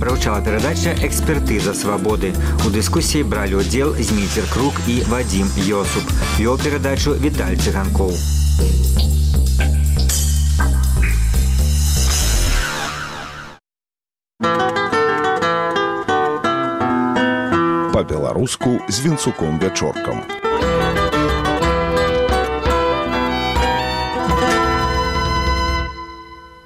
Прагучала перадача «Экспертиза свободы». У дискуссии брали удел Змитер Круг и Вадим Йосуп. Вел передачу Виталий Цыганков. По-беларуску з Вінцуком Вячоркам.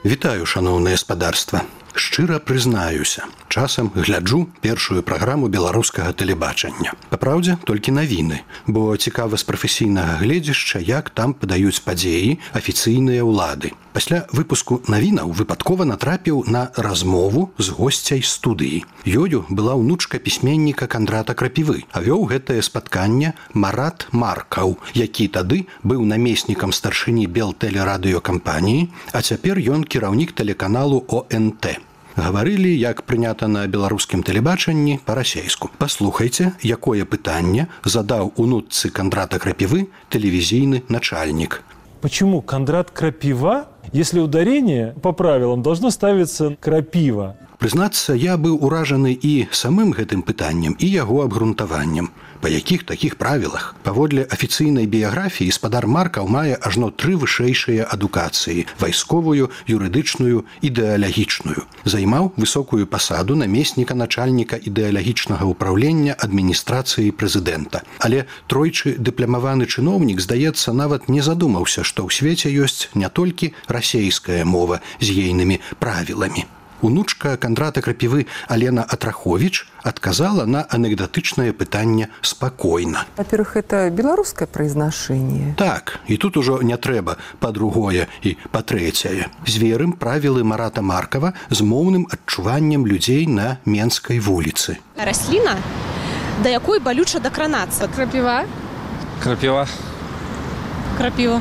Вітаю, шаноўнае спадарства. Шчыра прызнаюся, часам гляджу першую праграму беларускага тэлебачання. Папраўдзе, толькі навіны, бо цікава з прафесійнага гледзяшча, як там падаюць падзеі афіцыйныя ўлады. Пасля выпуску навінаў выпадкова натрапіў на размову з госцяй студыі. Ёю была ўнучка пісьменніка Кандрата Крапівы, а вёў гэтае спатканне Марат Маркаў, які тады быў намеснікам старшыні Белтэлерадыёкампаніі, а цяпер ён кіраўнік тэлеканалу ОНТ. Гаварылі, як прынята на беларускім тэлебачанні, па-расейску. Паслухайце, якое пытанне задаў унучцы Кандрата Крапівы тэлевізійны начальнік. Почему Кондрат Крапива, если ударение по правилам должно ставиться Крапива? Прызнацца, я быў уражаны і самым гэтым пытаннем, і яго абгрунтаваннем. Па якіх такіх правілах? Паводле афіцыйнай біяграфіі спадар Маркаў мае ажно 3 вышэйшыя адукацыі – вайсковую, юрыдычную, ідэалагічную. Займаў высокую пасаду намесніка начальніка ідэалагічнага ўпраўлення адміністрацыі прэзідэнта. Але тройчы дыпламаваны чыноўнік, здаецца, нават не задумаўся, што ў свеце ёсць не толькі расейская мова з ейнымі правіламі. Унучка Кандрата Крапівы Алена Атрахович отказала на анекдотычное пытанне спокойно. Во-первых, это белорусское произношение. Так, и тут уже не трэба по-другое и по-трэцяе. Зверым правілы Марата Маркова з моўным адчуваннем людзей на Менскай вуліцы. Расліна, да якой балюча дакранацца? Крапіва. Крапіва. Крапіва.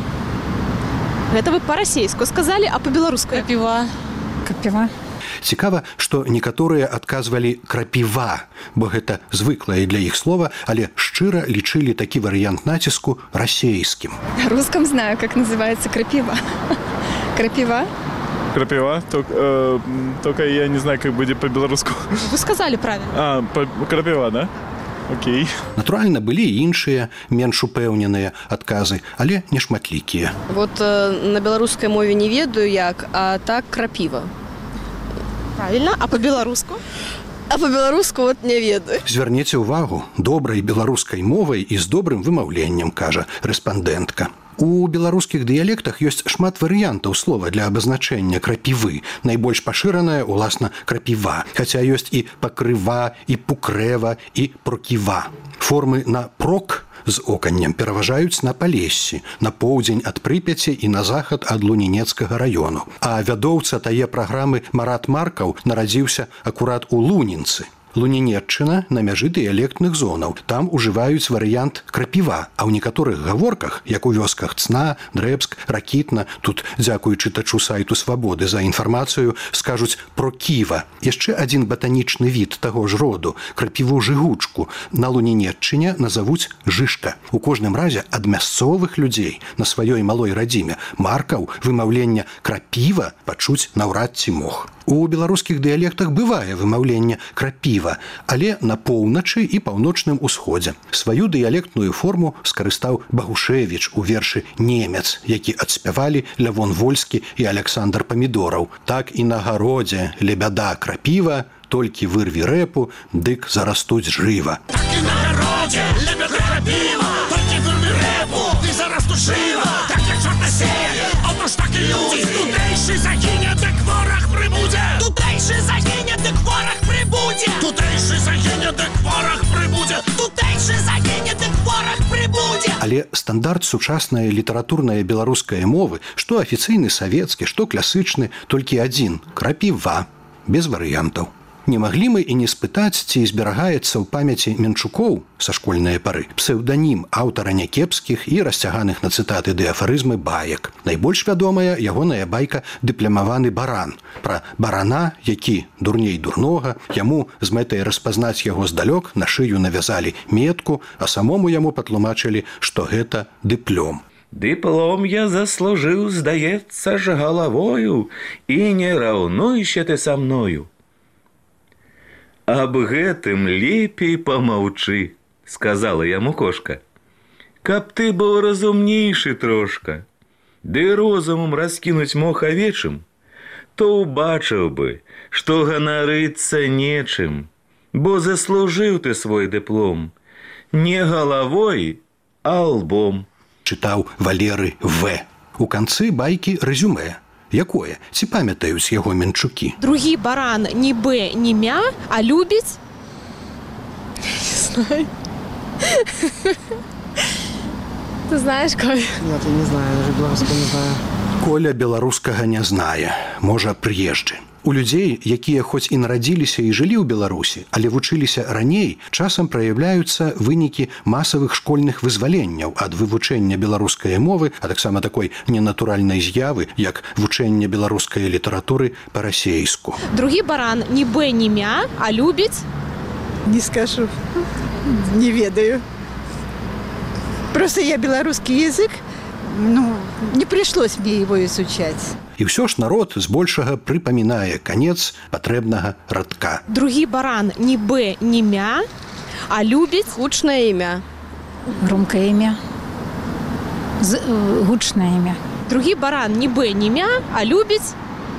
Гэта вы па-расейску сказалі, а па-беларуску? Крапіва. Крапіва. Цікава, што некаторыя адказвалі «крапіва», бо гэта звыклае для іх слова, але шчыра лічылі такі варыянт націску расейскім. На русском знаю, как называется крапива. Крапива? Крапива? Только я не знаю, как будет по-белоруску. Вы сказали правильно. Крапива, да? Окей. Натуральна, былі і іншыя, менш упэўненыя адказы, але не шматлікія. Вот на беларускай мове не ведаю як, а так крапіва. Правильно, а по-беларуску? А по-беларуску вот не ведаю. Звярніце ўвагу, добрай беларускай мовай і з добрым вымаўленнем, кажа рэспандэнтка. У беларускіх дыялектах ёсць шмат варыянтаў слова для абазначэння крапівы. Найбольш пашыраная, уласна, крапіва. Хаця ёсць і пакрыва, і пукрэва, і проківа. Формы на прок з оканнем пераважаюць на Палессі, на поўдзень ад Прыпяці і на захад ад Лунінецкага раёну. А вядоўца тае праграмы Марат Маркаў нарадзіўся акурат у Лунінцы. Лунінеччына на мяжы дыялектных зонаў. Там ужываюць варыянт крапіва, а ў некаторых гаворках, як у вёсках Цна, Дрэбск, Ракітна, тут, дзякуючы чытачу сайту Свабоды за інфармацыю, скажуць проківа. Яшчэ адзін батанічны від таго ж роду, крапіву-жыгучку, на Лунінеччыне назавуць жышка. У кожным разе ад мясцовых людзей на сваёй малой радзіме Маркаў вымаўлення крапіва пачуць наўрад ці мог. У беларускіх дыялектах бывае вымаўленне крапіва, але на поўначы і паўночным усходзе. Сваю дыялектную форму скарыстаў Багушевіч у вершы «Немец», які адспявалі Лявон Вольскі і Аляксандр Памідораў. Так і на гародзе лебяда крапіва, толькі вырві рэпу, дык зарастуць жыва. Так і на гародзе лебяда крапіва, толькі вырві рэпу, дык зарастуць жыва. Так як чорна сея, отож так і людзі. Тутэйшы загіне, дык вораг прыбудзе. Тутэйшы загіне, дык вораг прыбудзе. Тутэйшы загіне, дык вораг прыбудзе. Тутэйшы загіне, дык вораг прыбудзе. Але стандарт сучаснай літаратурнай беларускай мовы, што афіцыйны савецкі, што класычны, толькі адзін – крапіва, без варыянтаў. Не маглі мы і не спытаць, ці зберагаецца ў памяці Менчукоў са школьнай пары псеўданім аўтара някепскіх і расцяганых на цытаты ды афарызмы баек. Найбольш вядомая ягоная байка «Дыплямаваны баран». Пра барана, які дурней дурнога, яму з мэтай распазнаць яго здалёк на шыю навязалі метку, а самому яму патлумачылі, што гэта дыплём. Дыплом я заслужыў, здаецца ж, галавою, і не раўнуйся ты са мною. Аб гэтым лепей помаўчы, сказала яму кошка. Каб ты быў разумнейшы трошка, ды розумам раскінуць мог авечым, то убачыў бы, што ганарыцца нечым, бо заслужыў ты свой дыплом не галавой, а лбом. Чытаў Валеры В. У канцы байкі рэзюмэ. Якое? Ці памятаюць яго менчукі? Другі баран ні б, ні мя, а любіць? Не знаю. Ты знаешь, Коля? Нет, я не знаю, даже белорусского не знаю. Коля беларускага не знае, можа, прыезджы. У людзей, якія хоць і нарадзіліся і жылі ў Беларусі, але вучыліся раней, часам праяўляюцца вынікі масавых школьных вызваленняў ад вывучэння беларускай мовы, а таксама такой ненатуральнай з'явы, як вучэнне беларускай літаратуры па-расейску. Другі баран ні б, ні мя, а любіць? Не скажу. Не ведаю. Просто я белорусский язык, не пришлось мне его изучать. І ўсё ж народ збольшага прыпамінае канец патрэбнага радка. Другі баран ні б, ні мя, а любіць? Гучнае імя. Громкое имя. Гучное имя. Другі баран ні б, ні мя, а любіць?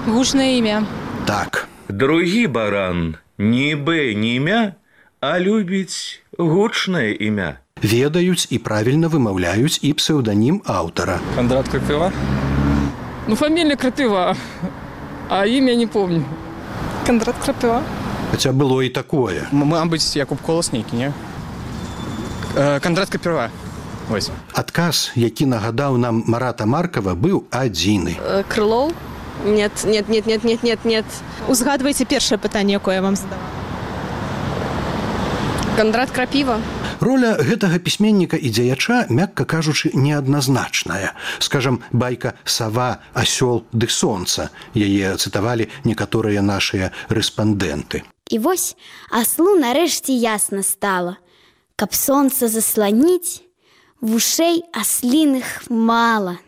Гучное имя. Так. Другі баран ні б, ні мя, а любіць гучнае імя. Ведаюць і правільна вымаўляюць і псеўданім аўтара. Кондрат Крапива? Фамилия Крапива, а имя не помню. Кондрат Крапива. Хаця было і такое. Мабуть, Якуб Колоснейкі, не? Кондрат Крапива. Ось. Адказ, які нагадаў нам Марата Маркова, быў адзіны. Крылоў? Нет. Узгадвайце першае пытанне, якое я вам задавала. Кондрат Крапива. Роля гэтага пісьменніка і дзеяча, мякка кажучы, неадназначная. Скажам, байка «Сава, асёл ды сонца». Яе цытавалі некаторыя нашыя рэспандэнты. І вось аслу нарэшце ясна стала. Каб сонца засланіць, вушэй асліных мала.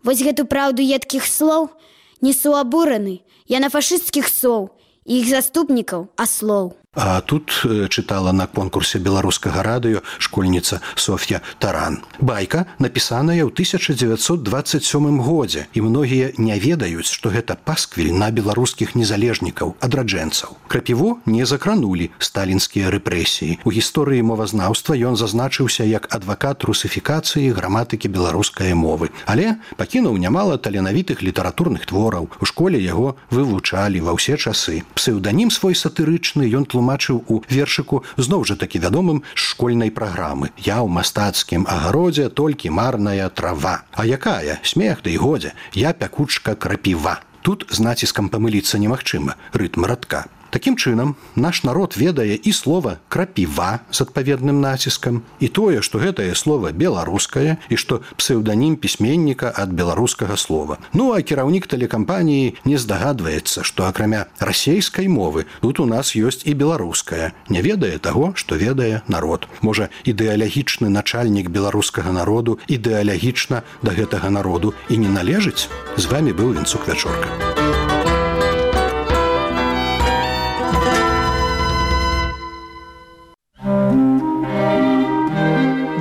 Вось гэту праўду едкіх слоў несу абураны я на фашысцкіх соў і іх заступнікаў аслоў. А тут чытала на конкурсе беларускага радыё школьніца Софья Таран. Байка напісаная ў 1927 годзе, і многія не ведаюць, што гэта пасквіль на беларускіх незалежнікаў, адраджэнцаў. Крапіву не закранулі сталінскія рэпрэсіі. У гісторыі мовазнаўства ён зазначыўся як адвакат русіфікацыі граматыкі беларускай мовы, але пакінуў нямала таленавітых літаратурных твораў. У школе яго вывучалі ва ўсе часы. Псеўданім свой сатырычны ён тлумачыў у вершыку зноў жа такі вядомым з школьнай праграмы. Я ў мастацкім агародзе толькі марная трава. А якая? Смех ды і годзе. Я пякучка крапіва. Тут з націскам памыліцца немагчыма. Рытм радка. Такім чынам, наш народ ведае і слова «крапіва» з адпаведным націскам, і тое, што гэтае слова беларускае, і што псеўданім пісьменніка ад беларускага слова. Ну, а кіраўнік тэлекампаніі не здагадваецца, што акрамя расейскай мовы тут у нас ёсць і беларуская. Не ведае таго, што ведае народ. Можа, ідэалагічны начальнік беларускага народу ідэалагічна да гэтага народу і не належыць? З вамі быў Вінцук Вячорка.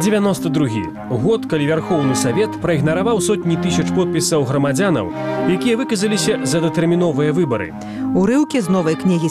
92 год, калі Вярхоўны Савет праігнараваў сотні тысяч подпісаў грамадзянаў, якія выказаліся за датэрміновыя выбары. Урыўкі з новай кнігі